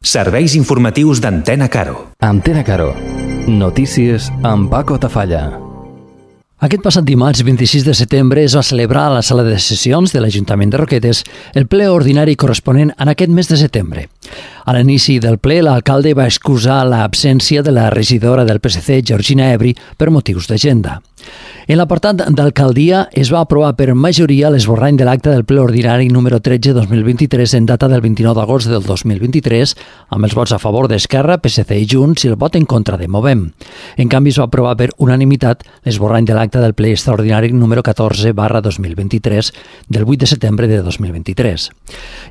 Serveis informatius d'Antena Caro. Antena Caro. Notícies amb Paco Tafalla. Aquest passat dimarts 26 de setembre es va celebrar a la sala de sessions de l'Ajuntament de Roquetes el ple ordinari corresponent en aquest mes de setembre. A l'inici del ple, l'alcalde va excusar l'absència de la regidora del PSC, Georgina Ebri, per motius d'agenda. En l'apartat d'alcaldia es va aprovar per majoria l'esborrany de l'acte del ple ordinari número 13-2023 en data del 29 d'agost del 2023, amb els vots a favor d'Esquerra, PSC i Junts i el vot en contra de Movem. En canvi, es va aprovar per unanimitat l'esborrany de l'acte del ple extraordinari número 14/2023 del 8 de setembre de 2023.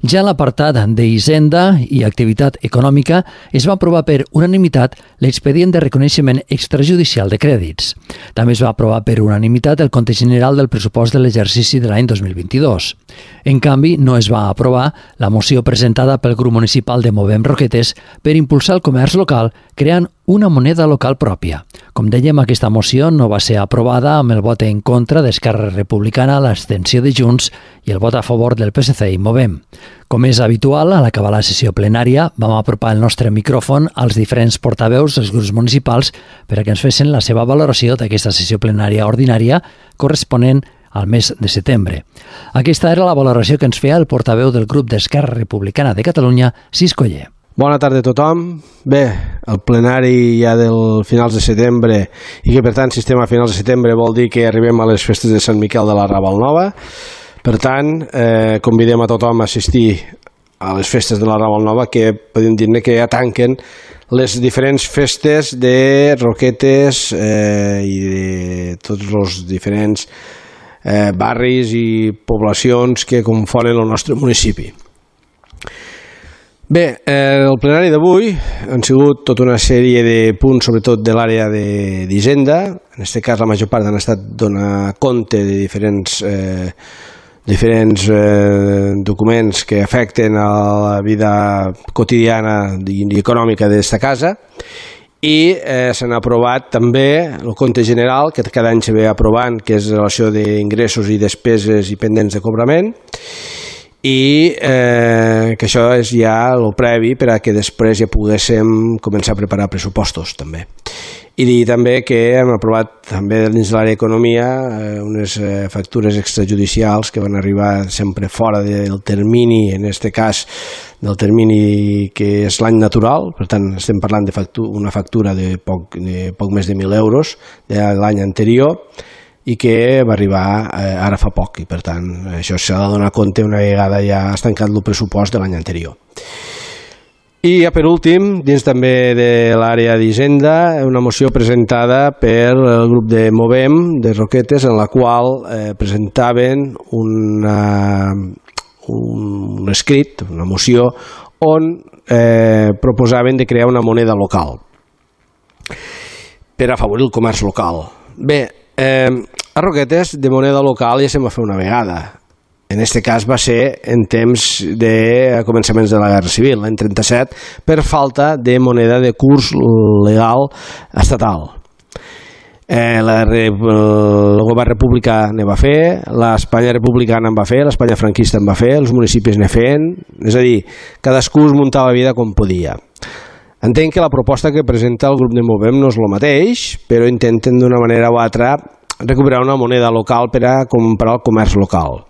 Ja a l'apartat d'Hisenda i Activitat Econòmica es va aprovar per unanimitat l'expedient de reconeixement extrajudicial de crèdits. També es va aprovar per unanimitat el compte general del pressupost de l'exercici de l'any 2022. En canvi, no es va aprovar la moció presentada pel grup municipal de Movem Roquetes per impulsar el comerç local creant una moneda local pròpia. Com dèiem, aquesta moció no va ser aprovada amb el vot en contra d'Esquerra Republicana, l'abstenció de Junts i el vot a favor del PSC i Movem. Com és habitual, a l'acabar la sessió plenària vam apropar el nostre micròfon als diferents portaveus dels grups municipals per a que ens fessin la seva valoració d'aquesta sessió plenària ordinària corresponent al mes de setembre. Aquesta era la valoració que ens feia el portaveu del grup d'Esquerra Republicana de Catalunya, Cis Coller. Bona tarda a tothom. Bé, el plenari ja del finals de setembre i que per tant si estem a finals de setembre vol dir que arribem a les festes de Sant Miquel de la Ravalnova. Per tant, convidem a tothom a assistir a les festes de la Ravalnova, que podem dir-ne que ja tanquen les diferents festes de Roquetes i de tots els diferents barris i poblacions que confonen el nostre municipi. Bé, el plenari d'avui han sigut tota una sèrie de punts, sobretot de l'àrea d'Hisenda. En aquest cas, la major part han estat donar compte de diferents documents que afecten a la vida quotidiana i econòmica d'esta casa. I s'han aprovat també el compte general, que cada any se ve aprovant, que és relació d'ingressos i despeses i pendents de cobrament, i que això és ja el previ per a que després ja poguéssim començar a preparar pressupostos també. I dir també que hem aprovat també dins de l'àrea d'economia unes factures extrajudicials que van arribar sempre fora del termini, en aquest cas del termini que és l'any natural. Per tant estem parlant d'una factura de poc més de 1.000 euros de l'any anterior i que va arribar ara fa poc, i per tant això s'ha de donar compte una vegada ja has tancat el pressupost de l'any anterior. I ja per últim, dins també de l'àrea d'Hisenda, una moció presentada per el grup de Movem de Roquetes, en la qual presentaven un escrit, una moció, on proposaven de crear una moneda local per afavorir el comerç local. Bé, a Roquetes de moneda local ja se'n va fer una vegada. En aquest cas va ser en temps de començaments de la Guerra Civil, l'any 37, per falta de moneda de curs legal estatal. El govern republicà ne va fer, l'Espanya republicana en va fer, l'Espanya franquista en va fer, els municipis ne feien, és a dir, cadascú es muntava la vida com podia. Entenc que la proposta que presenta el grup de Movem no és el mateix, però intenten d'una manera o altra recuperar una moneda local per a comprar el comerç local.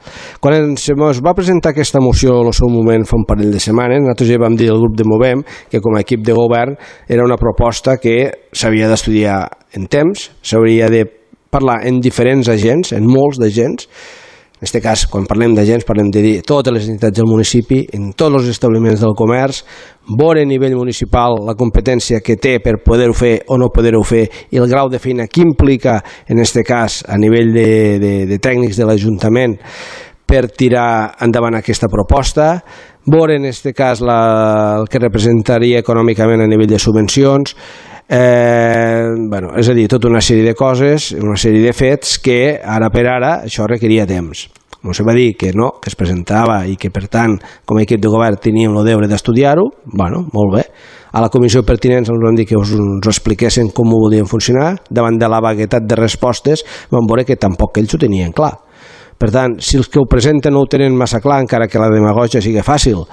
Quan es va presentar aquesta moció al seu moment fa un parell de setmanes, nosaltres ja vam dir al grup de Movem que com a equip de govern era una proposta que s'havia d'estudiar en temps, s'hauria de parlar en diferents agents, en molts d'agents. En aquest cas, quan parlem d'agents, parlem de dir totes les entitats del municipi, en tots els establiments del comerç, veure a nivell municipal la competència que té per poder-ho fer o no poder-ho fer i el grau de feina que implica, en aquest cas, a nivell de tècnics de l'Ajuntament per tirar endavant aquesta proposta, veure en aquest cas el que representaria econòmicament a nivell de subvencions, és a dir, tota una sèrie de coses, una sèrie de fets que ara per ara això requeria temps. No se va dir que no, que es presentava i que per tant com a equip de govern teníem el deure d'estudiar-ho. Bueno, molt bé. A la comissió pertinent ens van dir que ens expliquessin com ho volien funcionar. Davant de la vaguetat de respostes vam veure que tampoc ells ho tenien clar. Per tant, si els que ho presenten no ho tenen massa clar, encara que la demagogia sigui fàcil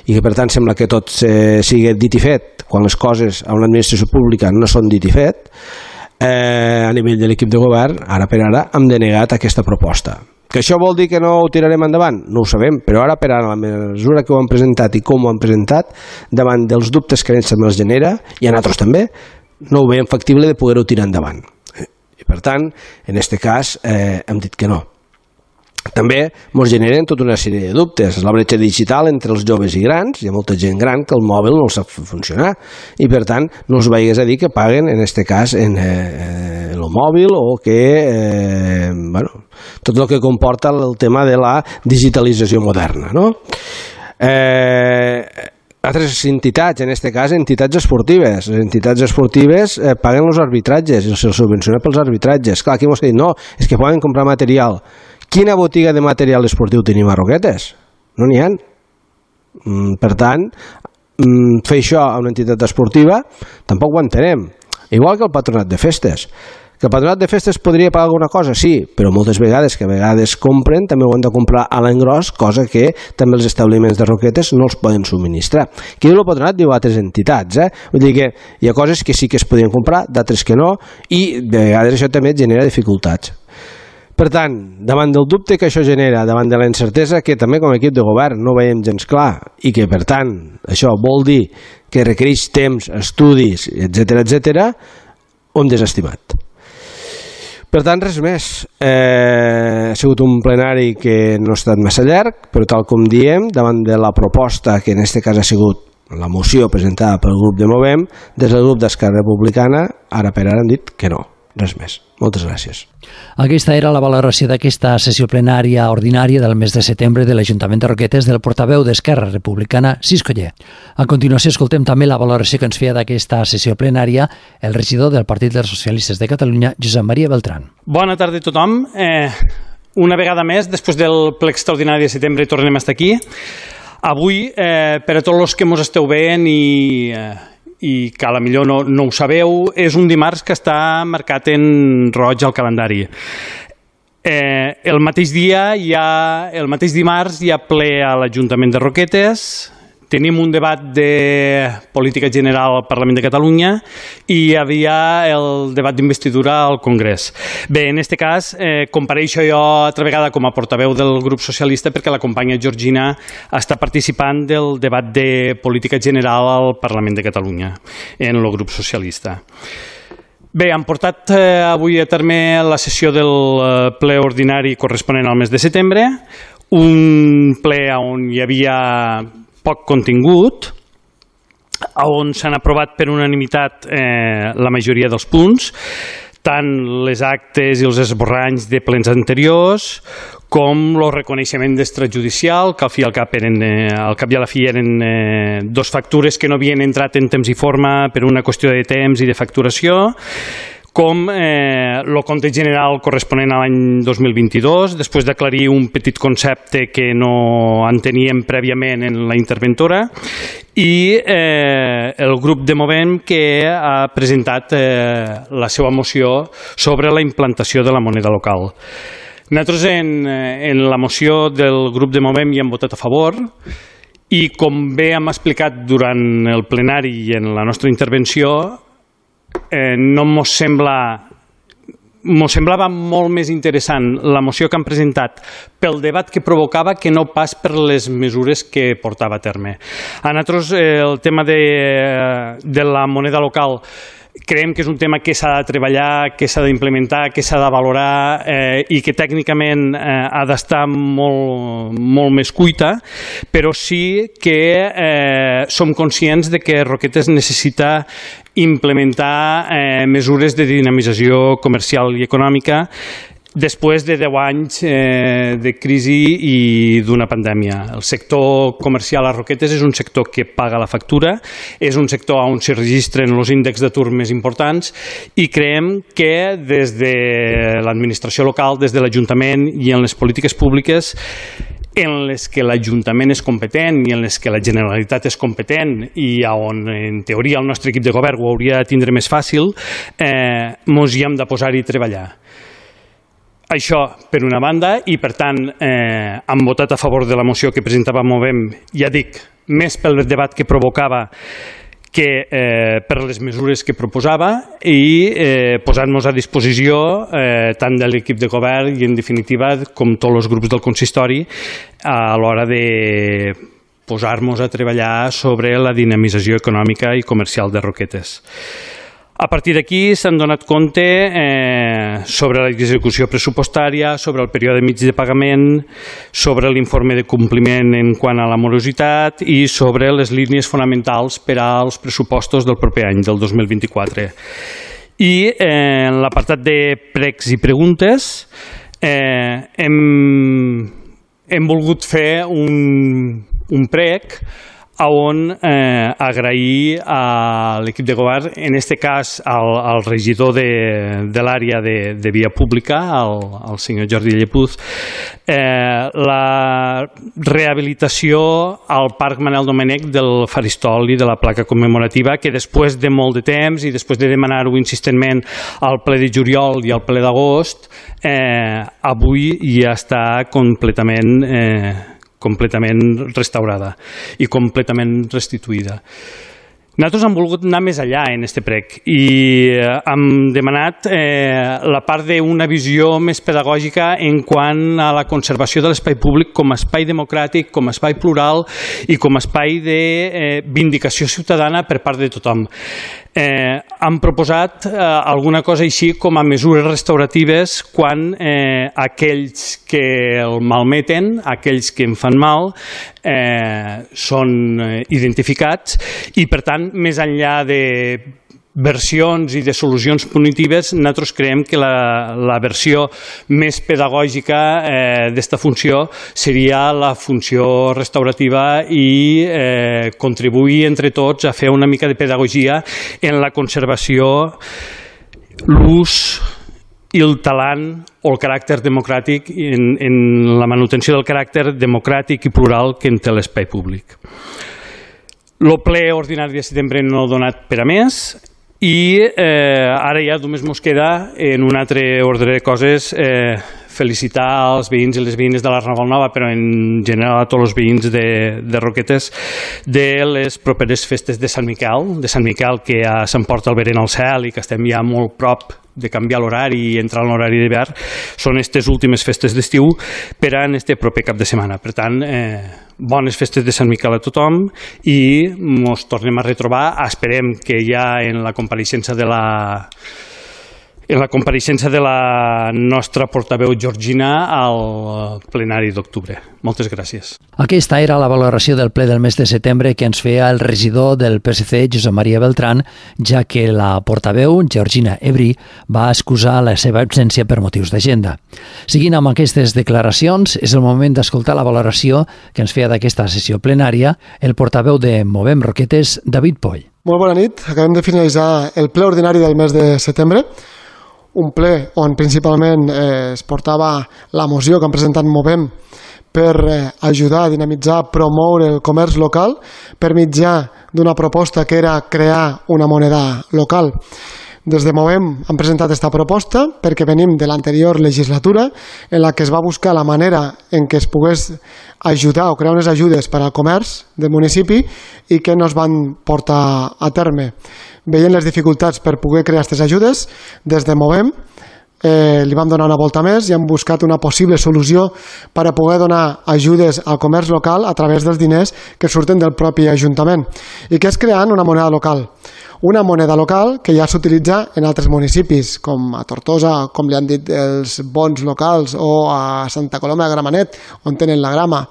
i que per tant sembla que tot sigui dit i fet, quan les coses a una administració pública no són dit i fet, a nivell de l'equip de govern, ara per ara, hem denegat aquesta proposta. Que això vol dir que no ho tirarem endavant? No ho sabem, però ara per ara, la mesura que ho han presentat i com ho han presentat, davant dels dubtes que ells també els genera, i a nosaltres també, no ho veiem factible de poder-ho tirar endavant. I per tant, en aquest cas, hem dit que no. També ens generen tota una sèrie de dubtes. La bretxa digital entre els joves i grans, hi ha molta gent gran que el mòbil no el sap funcionar i per tant no els veies a dir que paguen en aquest cas en el mòbil o que tot el que comporta el tema de la digitalització moderna, no? Altres entitats, en aquest cas entitats esportives. Les entitats esportives paguen els arbitratges i se'ls subvenciona pels arbitratges. Clar, aquí m'ho dit, no, és que poden comprar material. Quina botiga de material esportiu tenim a Roquetes? No n'hi ha. Per tant, fer això a una entitat esportiva tampoc ho entenem. Igual que el patronat de festes. Que el patronat de festes podria pagar alguna cosa? Sí, però moltes vegades, que a vegades compren, també ho han de comprar a l'engròs, cosa que també els establiments de Roquetes no els poden subministrar. Qui diu el patronat diu altres entitats, Vull dir que hi ha coses que sí que es podien comprar, d'altres que no, i de vegades això també genera dificultats. Per tant, davant del dubte que això genera, davant de la incertesa que també com a equip de govern no veiem gens clar i que per tant això vol dir que requereix temps, estudis, etc., ho hem desestimat. Per tant, res més. Ha sigut un plenari que no ha estat massa llarg, però tal com diem, davant de la proposta que en aquest cas ha sigut la moció presentada pel grup de Movem, des del grup d'Esquerra Republicana, ara per ara han dit que no. Res més. Moltes gràcies. Aquesta era la valoració d'aquesta sessió plenària ordinària del mes de setembre de l'Ajuntament de Roquetes del portaveu d'Esquerra Republicana, Ciscoller. A continuació escoltem també la valoració que ens feia d'aquesta sessió plenària el regidor del Partit dels Socialistes de Catalunya, Josep Maria Beltrán. Bona tarda a tothom. Una vegada més, després del ple extraordinari de setembre, tornem a estar aquí. Avui, per a tots els que ens esteu veient i que a la millor no ho sabeu, és un dimarts que està marcat en roig al calendari. El mateix dimarts hi ha ple a l'Ajuntament de Roquetes, tenim un debat de política general al Parlament de Catalunya i hi havia el debat d'investidura al Congrés. Bé, en aquest cas, compareixo jo altra vegada com a portaveu del grup socialista perquè la companya Georgina està participant del debat de política general al Parlament de Catalunya en el grup socialista. Bé, han portat avui a terme la sessió del ple ordinari corresponent al mes de setembre, un ple on hi havia poc contingut, on s'han aprovat per unanimitat la majoria dels punts, tant les actes i els esborranys de plens anteriors, com el reconeixement d'extrajudicial, que al cap i a la fi eren dos factures que no havien entrat en temps i forma per una qüestió de temps i de facturació, com el compte general corresponent a l'any 2022, després d'aclarir un petit concepte que no enteníem prèviament en la interventora, i el grup de Movem que ha presentat la seva moció sobre la implantació de la moneda local. Nosaltres en la moció del grup de Movem hi hem votat a favor i com bé hem explicat durant el plenari i en la nostra intervenció, no mos semblava molt més interessant la moció que han presentat pel debat que provocava que no pas per les mesures que portava a terme. A nosaltres el tema de la moneda local creiem que és un tema que s'ha de treballar, que s'ha d'implementar, que s'ha de valorar i que tècnicament ha d'estar molt més cuita, però sí que som conscients de que Roquetes necessita implementar mesures de dinamització comercial i econòmica després de 10 anys de crisi i d'una pandèmia. El sector comercial a Roquetes és un sector que paga la factura, és un sector on s'hi registren els índexs d'atur més importants i creiem que des de l'administració local, des de l'Ajuntament i en les polítiques públiques en les que l'Ajuntament és competent i en les que la Generalitat és competent i on en teoria el nostre equip de govern ho hauria de tindre més fàcil, ens hi hem de posar-hi a treballar. Això per una banda, i per tant han votat a favor de la moció que presentava Movem, ja dic, més pel debat que provocava que per les mesures que proposava i posant-nos a disposició tant de l'equip de govern i en definitiva com tots els grups del consistori a l'hora de posar-nos a treballar sobre la dinamització econòmica i comercial de Roquetes. A partir d'aquí s'han donat compte sobre l'execució pressupostària, sobre el període mig de pagament, sobre l'informe de compliment en quant a la morositat i sobre les línies fonamentals per als pressupostos del proper any, del 2024. I en l'apartat de pregs i preguntes hem volgut fer un prec on agrair a l'equip de govern, en aquest cas al regidor de l'àrea de via pública, al senyor Jordi Llepuz, la rehabilitació al Parc Manel Domènech del faristol i de la placa commemorativa, que després de molt de temps i després de demanar-ho insistentment al ple de juliol i al ple d'agost, avui ja està completament restaurada i completament restituïda. Nosaltres hem volgut anar més enllà en aquest prec i hem demanat la part d'una visió més pedagògica en quant a la conservació de l'espai públic com a espai democràtic, com a espai plural i com a espai de vindicació ciutadana per part de tothom. Han proposat alguna cosa així com a mesures restauratives quan aquells que el malmeten, aquells que en fan mal, són identificats i, per tant, més enllà de versions i de solucions punitives, nosaltres creiem que la versió més pedagògica d'esta funció seria la funció restaurativa i contribuir entre tots a fer una mica de pedagogia en la conservació, l'ús i el talant o el caràcter democràtic en la manutenció del caràcter democràtic i plural que en té l'espai públic. El ple ordinari de setembre no ha donat per a més i ara ja només ens queda, en un altre ordre de coses, felicitar els veïns i les veïnes de l'Arnavol Nova, però en general a tots els veïns de Roquetes, de les properes festes de Sant Miquel, que ja s'emporta el verent al cel i que estem ja molt prop de canviar l'horari i entrar en l'horari d'hivern. Són aquestes últimes festes d'estiu per a este proper cap de setmana. Per tant, bones festes de Sant Miquel a tothom i ens tornem a retrobar. Esperem que ja en la compareixença de la nostra portaveu Georgina al plenari d'octubre. Moltes gràcies. Aquesta era la valoració del ple del mes de setembre que ens feia el regidor del PSC, Josep Maria Beltrán, ja que la portaveu, Georgina Ebri, va excusar la seva absència per motius d'agenda. Seguint amb aquestes declaracions, és el moment d'escoltar la valoració que ens feia d'aquesta sessió plenària el portaveu de Movem Roquetes, David Poll. Molt bona nit. Acabem de finalitzar el ple ordinari del mes de setembre, un ple on principalment es portava la moció que han presentat Movem per ajudar a dinamitzar, promoure el comerç local per mitjà d'una proposta que era crear una moneda local. Des de Movem han presentat aquesta proposta perquè venim de l'anterior legislatura en la que es va buscar la manera en què es pogués ajudar o crear unes ajudes per al comerç del municipi i que no es van portar a terme. Veient les dificultats per poder crear aquestes ajudes, des de Movem li vam donar una volta més i hem buscat una possible solució per a poder donar ajudes al comerç local a través dels diners que surten del propi Ajuntament i que és creant una moneda local. Una moneda local que ja s'utilitza en altres municipis, com a Tortosa, com li han dit els bons locals, o a Santa Coloma de Gramenet, on tenen la grama.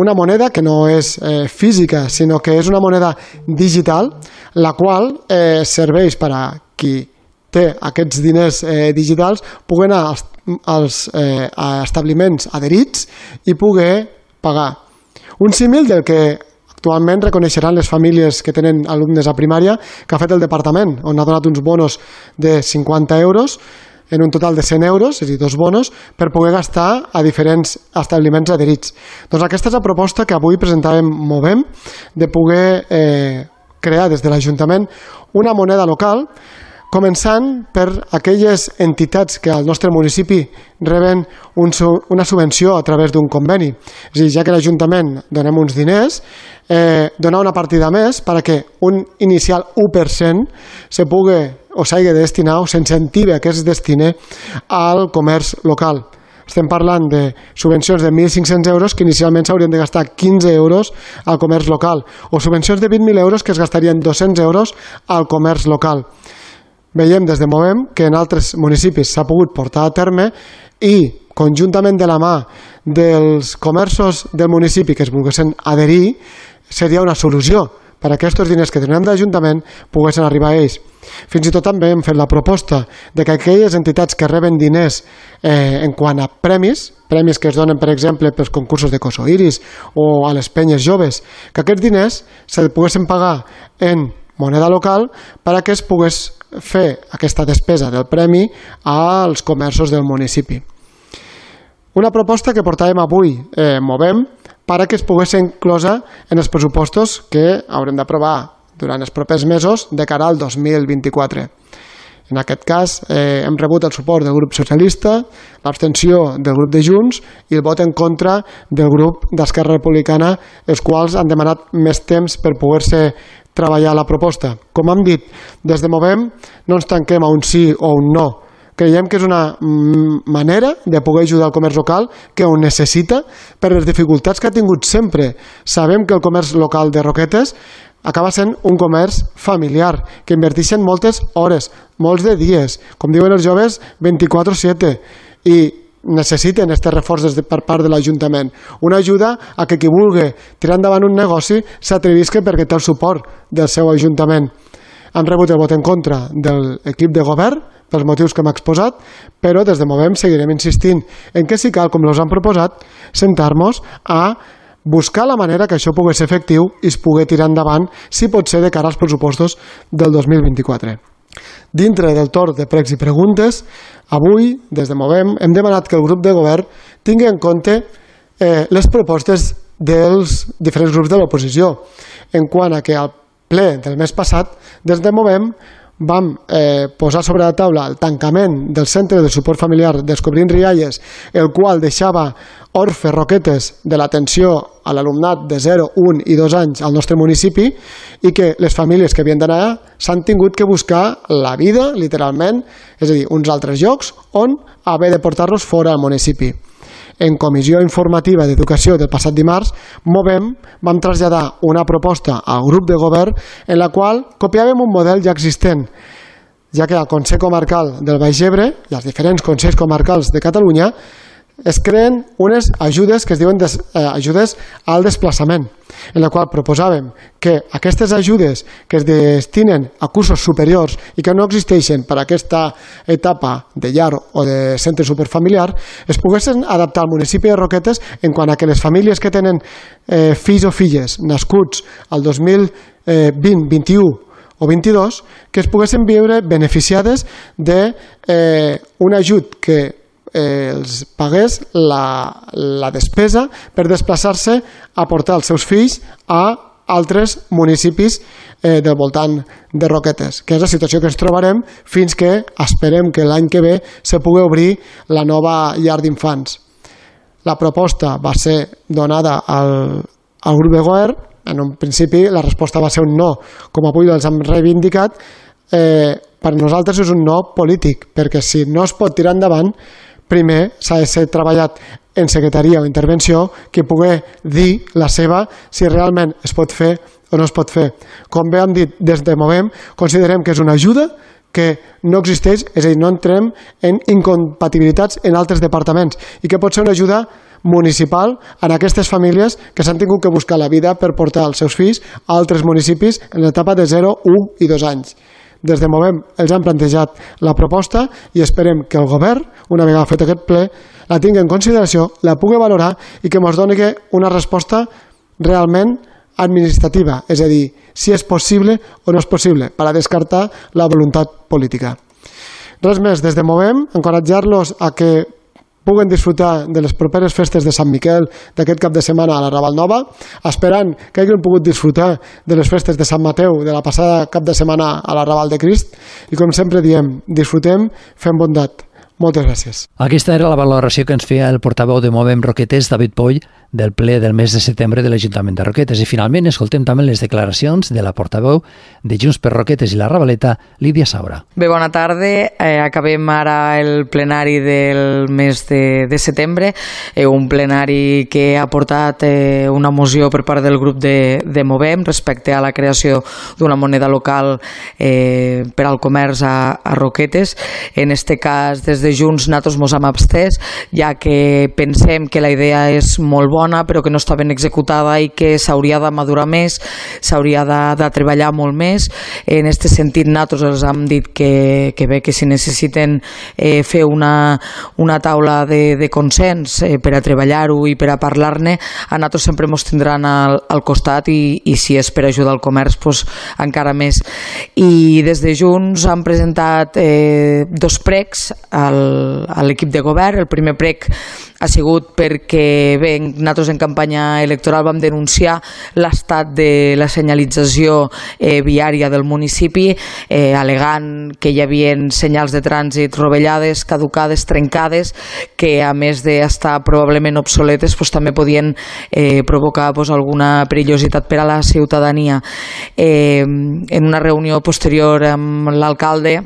Una moneda que no és física, sinó que és una moneda digital, la qual serveix per a qui té aquests diners digitals poder anar als establiments adherits i poder pagar. Un símil del que actualment reconeixeran les famílies que tenen alumnes a primària que ha fet el departament, on ha donat uns bonos de 50 euros en un total de 100 euros, és a dir, 2 bonos, per poder gastar a diferents establiments adherits. Doncs aquesta és la proposta que avui presentàvem Movem, de poder crear des de l'Ajuntament una moneda local Començant per aquelles entitats que al nostre municipi reben una subvenció a través d'un conveni. És a dir, ja que l'Ajuntament donem uns diners, donar una partida més perquè un inicial 1% se pugui o s'hagi de destinar o s'incentive que es destine al comerç local. Estem parlant de subvencions de 1.500 euros que inicialment s'haurien de gastar 15 euros al comerç local o subvencions de 20.000 euros que es gastarien 200 euros al comerç local. Veiem des de Movem que en altres municipis s'ha pogut portar a terme i conjuntament de la mà dels comerços del municipi que es volguessin adherir seria una solució per a aquests diners que tenim d'Ajuntament poguessin arribar a ells. Fins i tot també hem fet la proposta de que aquelles entitats que reben diners en quant a premis que es donen, per exemple, pels concursos de Cosoiris o a les penyes joves, que aquests diners se poguessin pagar en moneda local per a que es pogués fer aquesta despesa del premi als comerços del municipi. Una proposta que portàvem avui, Movem, perquè es pogués ser inclosa en els pressupostos que haurem d'aprovar durant els propers mesos de cara al 2024. En aquest cas hem rebut el suport del grup socialista, l'abstenció del grup de Junts i el vot en contra del grup d'Esquerra Republicana, els quals han demanat més temps per poder-se treballar la proposta. Com hem dit, des de Movem no ens tanquem a un sí o un no. Creiem que és una manera de poder ajudar el comerç local que ho necessita per les dificultats que ha tingut sempre. Sabem que el comerç local de Roquetes acaba sent un comerç familiar, que inverteixen moltes hores, molts de dies, com diuen els joves, 24/7, i necessiten aquest reforç per part de l'Ajuntament. Una ajuda a que qui vulgui tirar endavant un negoci s'atrevisca perquè té el suport del seu Ajuntament. Han rebut el vot en contra de l'equip de govern pels motius que hem exposat, però des de Movem seguirem insistint en que si cal, com els han proposat, sentar-nos a buscar la manera que això pugui ser efectiu i es pugui tirar endavant, si pot ser de cara als pressupostos del 2024. Dintre del torn de pregs i preguntes, avui, des de Movem, hem demanat que el grup de govern tingui en compte les propostes dels diferents grups de l'oposició, en quant a que al ple del mes passat, des de Movem, vam posar sobre la taula el tancament del centre de suport familiar Descobrint Rialles, el qual deixava orfe Roquetes de l'atenció a l'alumnat de 0, 1 i 2 anys al nostre municipi, i que les famílies que havien d'anar s'han tingut que buscar la vida, literalment, és a dir, uns altres llocs on haver de portar-los fora al municipi. En comissió informativa d'educació del passat dimarts, Movem vam traslladar una proposta al grup de govern en la qual copiàvem un model ja existent, ja que al Consell Comarcal del Baix Ebre i als diferents Consells Comarcals de Catalunya es creen unes ajudes que es diuen ajudes al desplaçament, en la qual proposàvem que aquestes ajudes que es destinen a cursos superiors i que no existeixen per a aquesta etapa de llar o de centre superfamiliar es poguessin adaptar al municipi de Roquetes en quant a que les famílies que tenen fills o filles nascuts al 2020, 21 o 22 que es poguessin viure beneficiades d'un ajut que els pagués la despesa per desplaçar-se a portar els seus fills a altres municipis del voltant de Roquetes, que és la situació que ens trobarem fins que esperem que l'any que ve se pugui obrir la nova llar d'infants. La proposta va ser donada al grup de govern. En un principi la resposta va ser un no, com avui els hem reivindicat. Per nosaltres és un no polític, perquè si no es pot tirar endavant, primer s'ha de ser treballat en secretaria o intervenció que pugui dir la seva si realment es pot fer o no es pot fer. Com bé hem dit des de Movem, considerem que és una ajuda que no existeix, és a dir, no entrem en incompatibilitats en altres departaments i que pot ser una ajuda municipal en aquestes famílies que s'han tingut que buscar la vida per portar els seus fills a altres municipis en l'etapa de 0, 1 i 2 anys. Des de Movem els han plantejat la proposta i esperem que el govern, una vegada fet aquest ple, la tingui en consideració, la pugui valorar i que ens doni una resposta realment administrativa, és a dir, si és possible o no és possible, per a descartar la voluntat política. Res més, des de Movem, encoratjar-los a que puguen disfrutar de les properes festes de Sant Miquel d'aquest cap de setmana a la Raval Nova, esperant que hagin pogut disfrutar de les festes de Sant Mateu de la passada cap de setmana a la Raval de Crist, i com sempre diem, disfrutem fent bondat. Moltes gràcies. Aquesta era la valoració que ens feia el portaveu de Movem Roquetes, David Poll, del ple del mes de setembre de l'Ajuntament de Roquetes. I finalment escoltem també les declaracions de la portaveu de Junts per Roquetes i la Ravaleta, Lídia Saura. Bé, bona tarda. Acabem ara el plenari del mes de setembre, un plenari que ha portat una moció per part del grup de Movem respecte a la creació d'una moneda local per al comerç a Roquetes. En este cas, des de Junts, nosaltres mos hem abstès, ja que pensem que la idea és molt bona, però que no està ben executada i que s'hauria de madurar més, s'hauria de treballar molt més. En aquest sentit, nosaltres els hem dit que bé, que si necessiten fer una taula de consens per a treballar-ho i per a parlar-ne, a nosaltres sempre ens tindran al costat, i si és per ajudar al comerç, doncs encara més. I des de Junts han presentat 2 pregs a l'equip de govern. El primer prec ha sigut perquè bé, nosaltres en campanya electoral vam denunciar l'estat de la senyalització viària del municipi, al·legant que hi havia senyals de trànsit rovellades, caducades, trencades, que a més d'estar probablement obsoletes també podien provocar alguna perillositat per a la ciutadania. En una reunió posterior amb l'alcalde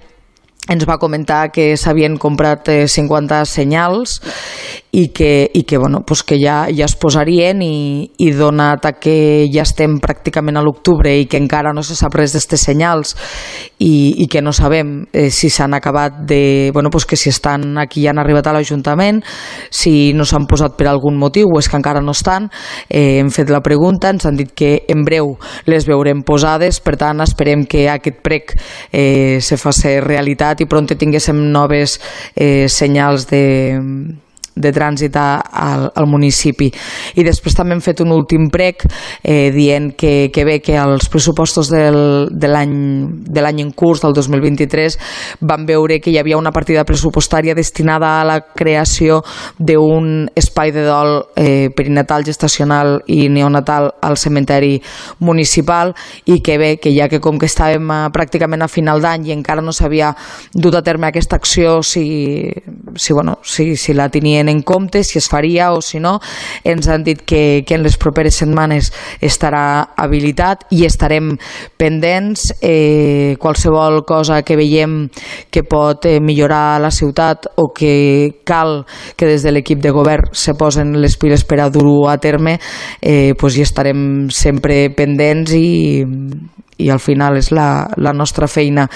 ens va comentar que s'havien comprat 50 senyals i que ja es posarien, i donat que ja estem pràcticament a l'octubre i que encara no se sap res d'aquestes senyals i que no sabem si s'han acabat que si estan aquí i han arribat a l'Ajuntament, si no s'han posat per algun motiu o és que encara no estan, hem fet la pregunta, ens han dit que en breu les veurem posades. Per tant, esperem que aquest prec se faci realitat i pront tinguéssim noves senyals de trànsit al municipi. I després també hem fet un últim prec dient que bé, que els pressupostos de l'any en curs, del 2023, van veure que hi havia una partida pressupostària destinada a la creació d'un espai de dol perinatal, gestacional i neonatal al cementeri municipal, i que bé, que ja que com que estàvem pràcticament a final d'any i encara no s'havia dut a terme aquesta acció, si la tenien en compte, si es faria o si no, ens han dit que en les properes setmanes estarà habilitat i estarem pendents. Qualsevol cosa que veiem que pot millorar la ciutat o que cal que des de l'equip de govern se posen les piles per a dur-ho a terme, hi estarem sempre pendents, i al final és la nostra feina.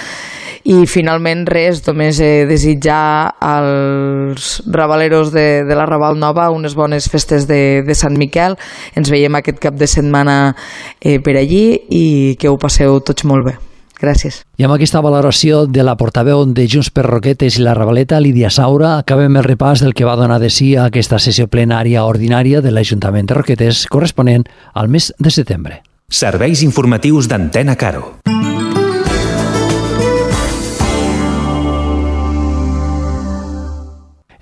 I finalment res, només desitjar als ravaleros de la Raval Nova unes bones festes de Sant Miquel. Ens veiem aquest cap de setmana per allí, i que ho passeu tots molt bé. Gràcies. I amb aquesta valoració de la portaveu de Junts per Roquetes i la Ravaleta, Lídia Saura, acabem el repàs del que va donar de si a aquesta sessió plenària ordinària de l'Ajuntament de Roquetes corresponent al mes de setembre. Serveis informatius d'Antena Caro.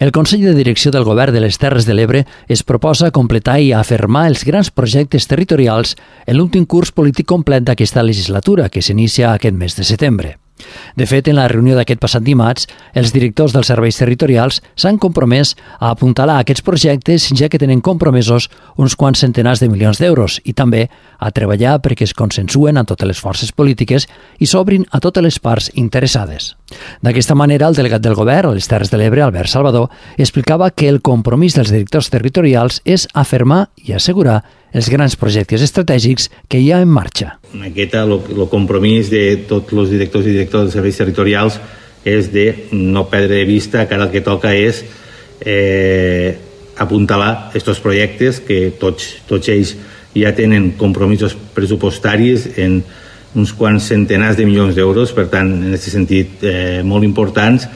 El Consell de Direcció del Govern de les Terres de l'Ebre es proposa completar i afermar els grans projectes territorials en l'últim curs polític complet d'aquesta legislatura, que s'inicia aquest mes de setembre. De fet, en la reunió d'aquest passat dimarts, els directors dels serveis territorials s'han compromès a apuntalar aquests projectes, ja que tenen compromesos uns quants centenars de milions d'euros, i també a treballar perquè es consensuen amb totes les forces polítiques i s'obrin a totes les parts interessades. D'aquesta manera, el delegat del govern a les Terres de l'Ebre, Albert Salvador, explicava que el compromís dels directors territorials és afermar i assegurar els grans projectes estratègics que hi ha en marxa. El compromís de tots els directors i directors dels serveis territorials és de no perdre de vista que ara el que toca és apuntalar aquests projectes que tots ells ja tenen compromisos pressupostaris en uns quants centenars de milions d'euros, per tant, en aquest sentit, molt importants,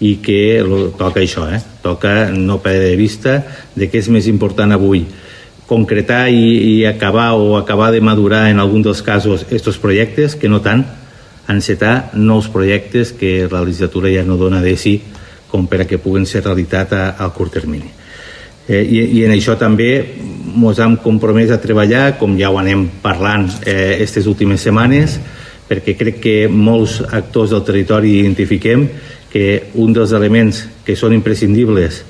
i que toca això, toca no perdre de vista de què és més important avui, concretar i acabar de madurar en algun dels casos aquests projectes, que no tant encetar nous projectes que la legislatura ja no dona de si, com per a que puguen ser realitat a curt termini. I en això també ens hem compromès a treballar, com ja ho anem parlant aquestes últimes setmanes, perquè crec que molts actors del territori identifiquem que un dels elements que són imprescindibles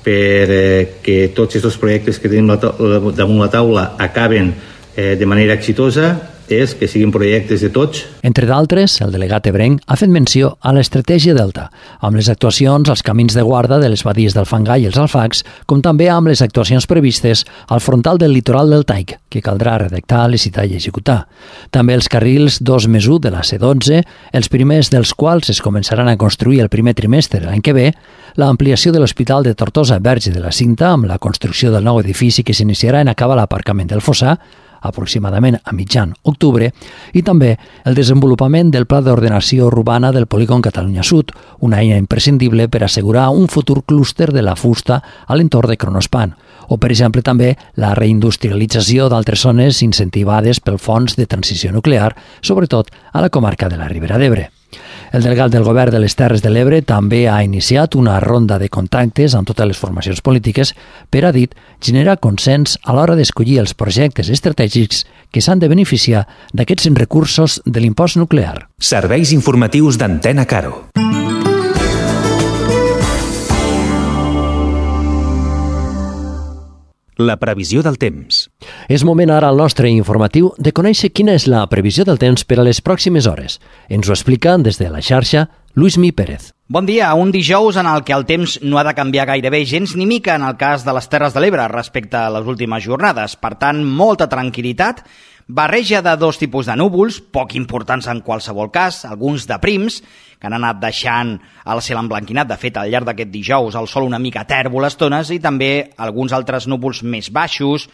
per que tots aquests projectes que tenim damunt la taula acaben de manera exitosa és que siguin projectes de tots. Entre d'altres, el delegat ebrenc ha fet menció a l'estratègia Delta, amb les actuacions als camins de guarda de les badies del Fangar i els Alfacs, com també amb les actuacions previstes al frontal del litoral del Taig, que caldrà redactar, licitar i executar. També els carrils 2+1 de la C12, els primers dels quals es començaran a construir el primer trimestre de l'any que ve, l'ampliació de l'Hospital de Tortosa Verge de la Cinta amb la construcció del nou edifici que s'iniciarà en acabar l'aparcament del Fossar, aproximadament a mitjan octubre, i també el desenvolupament del Pla d'Ordenació Urbana del Polígon Catalunya Sud, una eina imprescindible per assegurar un futur clúster de la fusta a l'entorn de Kronospan, o, per exemple, també la reindustrialització d'altres zones incentivades pel Fons de Transició Nuclear, sobretot a la comarca de la Ribera d'Ebre. El delegat del Govern de les Terres de l'Ebre també ha iniciat una ronda de contactes amb totes les formacions polítiques per, ha dit, generar consens a l'hora d'escollir els projectes estratègics que s'han de beneficiar d'aquests recursos de l'impost nuclear. Serveis informatius d'Antena Caro. La previsió del temps. És moment ara al nostre informatiu de conèixer quina és la previsió del temps per a les pròximes hores. Ens ho explica des de la xarxa Luismi Pérez. Bon dia, un dijous en el que el temps no ha de canviar gairebé gens ni mica en el cas de les Terres de l'Ebre respecte a les últimes jornades. Per tant, molta tranquil·litat, barreja de dos tipus de núvols, poc importants en qualsevol cas, alguns de prims, que han anat deixant el cel emblanquinat. De fet, al llarg d'aquest dijous el sol una mica tèrbol a estones i també alguns altres núvols més baixos,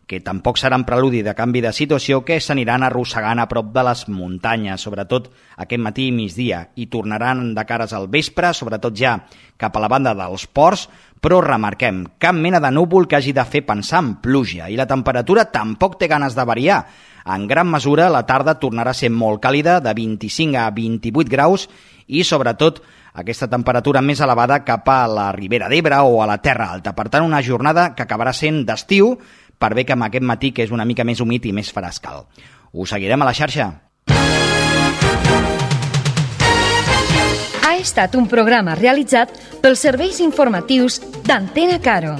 que tampoc seran preludi de canvi de situació, que s'aniran arrossegant a prop de les muntanyes, sobretot aquest matí i migdia, i tornaran de cares al vespre, sobretot ja cap a la banda dels ports, però remarquem, cap mena de núvol que hagi de fer pensar en pluja, i la temperatura tampoc té ganes de variar. En gran mesura, la tarda tornarà a ser molt càlida, de 25 a 28 graus, i sobretot aquesta temperatura més elevada cap a la Ribera d'Ebre o a la Terra Alta. Per tant, una jornada que acabarà sent d'estiu, per bé que amb aquest matí que és una mica més humit i més frescal. Us seguirem a la xarxa. Ha estat un programa realitzat pels serveis informatius d'Antena Caro.